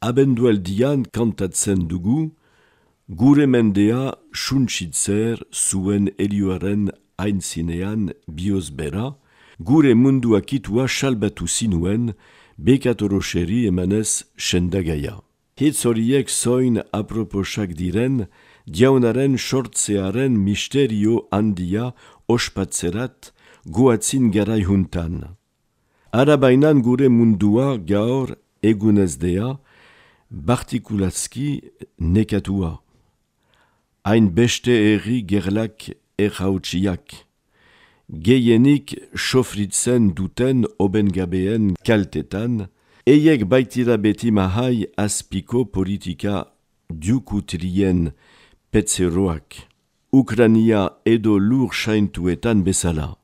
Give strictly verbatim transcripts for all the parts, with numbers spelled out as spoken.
abendualdian kantatzen dugu, gure mendea suntsitzer zuen helioaren aintzinean biozbera, gure munduakitua salbatu zinuen, bekatoroxeri emanez sendagaia. Hitz horiek zoin aproposak diren, diaunaren sortzearen misterio handia ospatzerat goatzin garai juntan. Arabainan gure mundua gaur egunezdea, partikulazki nekatua. Hain beste erri gerlak erhautsiak. Gehienik sofritzen duten obengabeen kaltetan, eiek baitira beti mahai azpiko politika dukutrien petzeroak. Ukrania edo lur saintuetan bezala.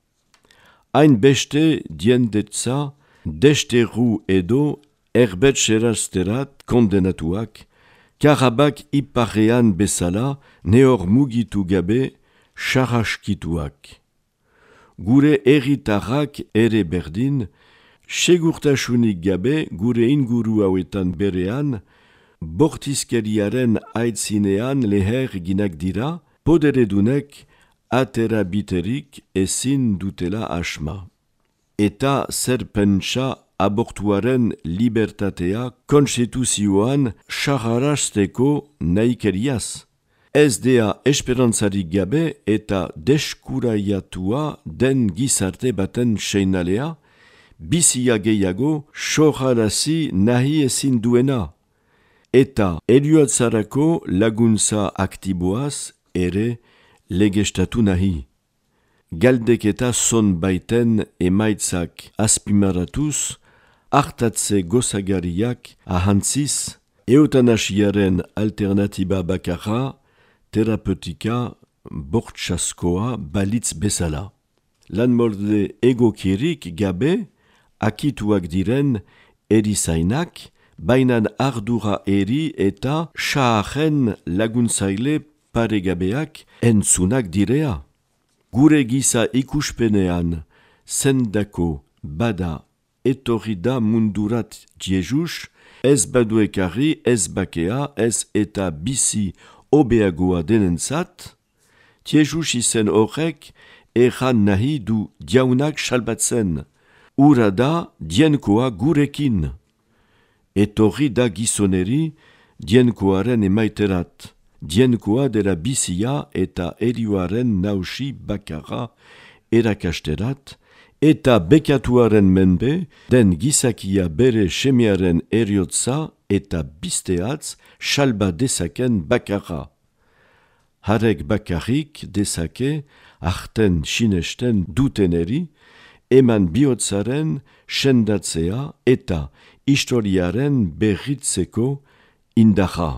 Hain beste diendetza, desteru edo erbetxerazterat kondenatuak, Karabak iparrean bezala neor mugitu gabe xarraskituak. Gure erritarrak ere berdin, segurtasunik gabe gure inguru hauetan berean, bortizkeriaren aitzinean leher ginak dira, poderedunek atera biterik ezin dutela asma. Eta zer pentsa abortuaren libertatea konstituzioan xarrasteko naikeriaz. Ez dea esperantzarik gabe eta deskuraiatua den gizarte baten seinalea, bizia gehiago xorrarazi nahi ezin duena. Eta helioatzarako laguntza aktiboaz ere legestatu nahi. Galdeketa zon baiten emaitzak azpimaratuz, hartatze gozagariak ahantziz, eutanasiaren alternatiba bakarra, terapeutika bortxaskoa balitz bezala. Lanmolde egokirik gabe, akituak diren erizainak, bainan ardura eri eta xaaren laguntzaile paregabeak entzunak direa. Gure giza ikuspenean, zendako bada etorri da mundurat Jesus, ez baduekarri, ez bakea, ez eta bizi obeagoa denentzat, Jesus izen horrek erran nahi du diaunak salbatzen, ura da dienkoa gurekin. Etorri da gizoneri dienkoaren emaiterat. Dienkoa dela bizia eta erioaren nausi bakarra erakasterat, eta bekatuaren menbe den gizakia bere semearen eriotza eta bizteatz salba dezaken bakarra. Harek bakarrik dezake arten sinesten duteneri, eman bihotzaren sendatzea eta historiaren berritzeko indarra.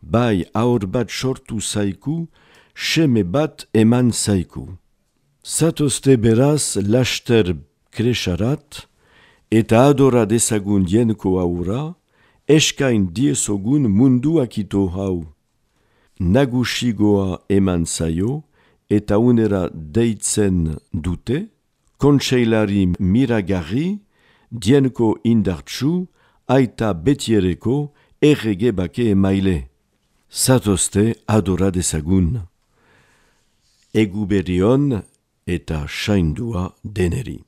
Bai aur bat sortu zaiku, seme bat eman zaiku. Zatozte beraz laster kresarat, eta adora dezagun dienko aura, eskain diezogun mundu akito hau. Nagusigoa eman zaio, eta unera deitzen dute, kontseilari miragarri, dienko indartsu, aita betiereko errege bake emaile. Zatozte adora dezagun. Egu berion eta saindua deneri.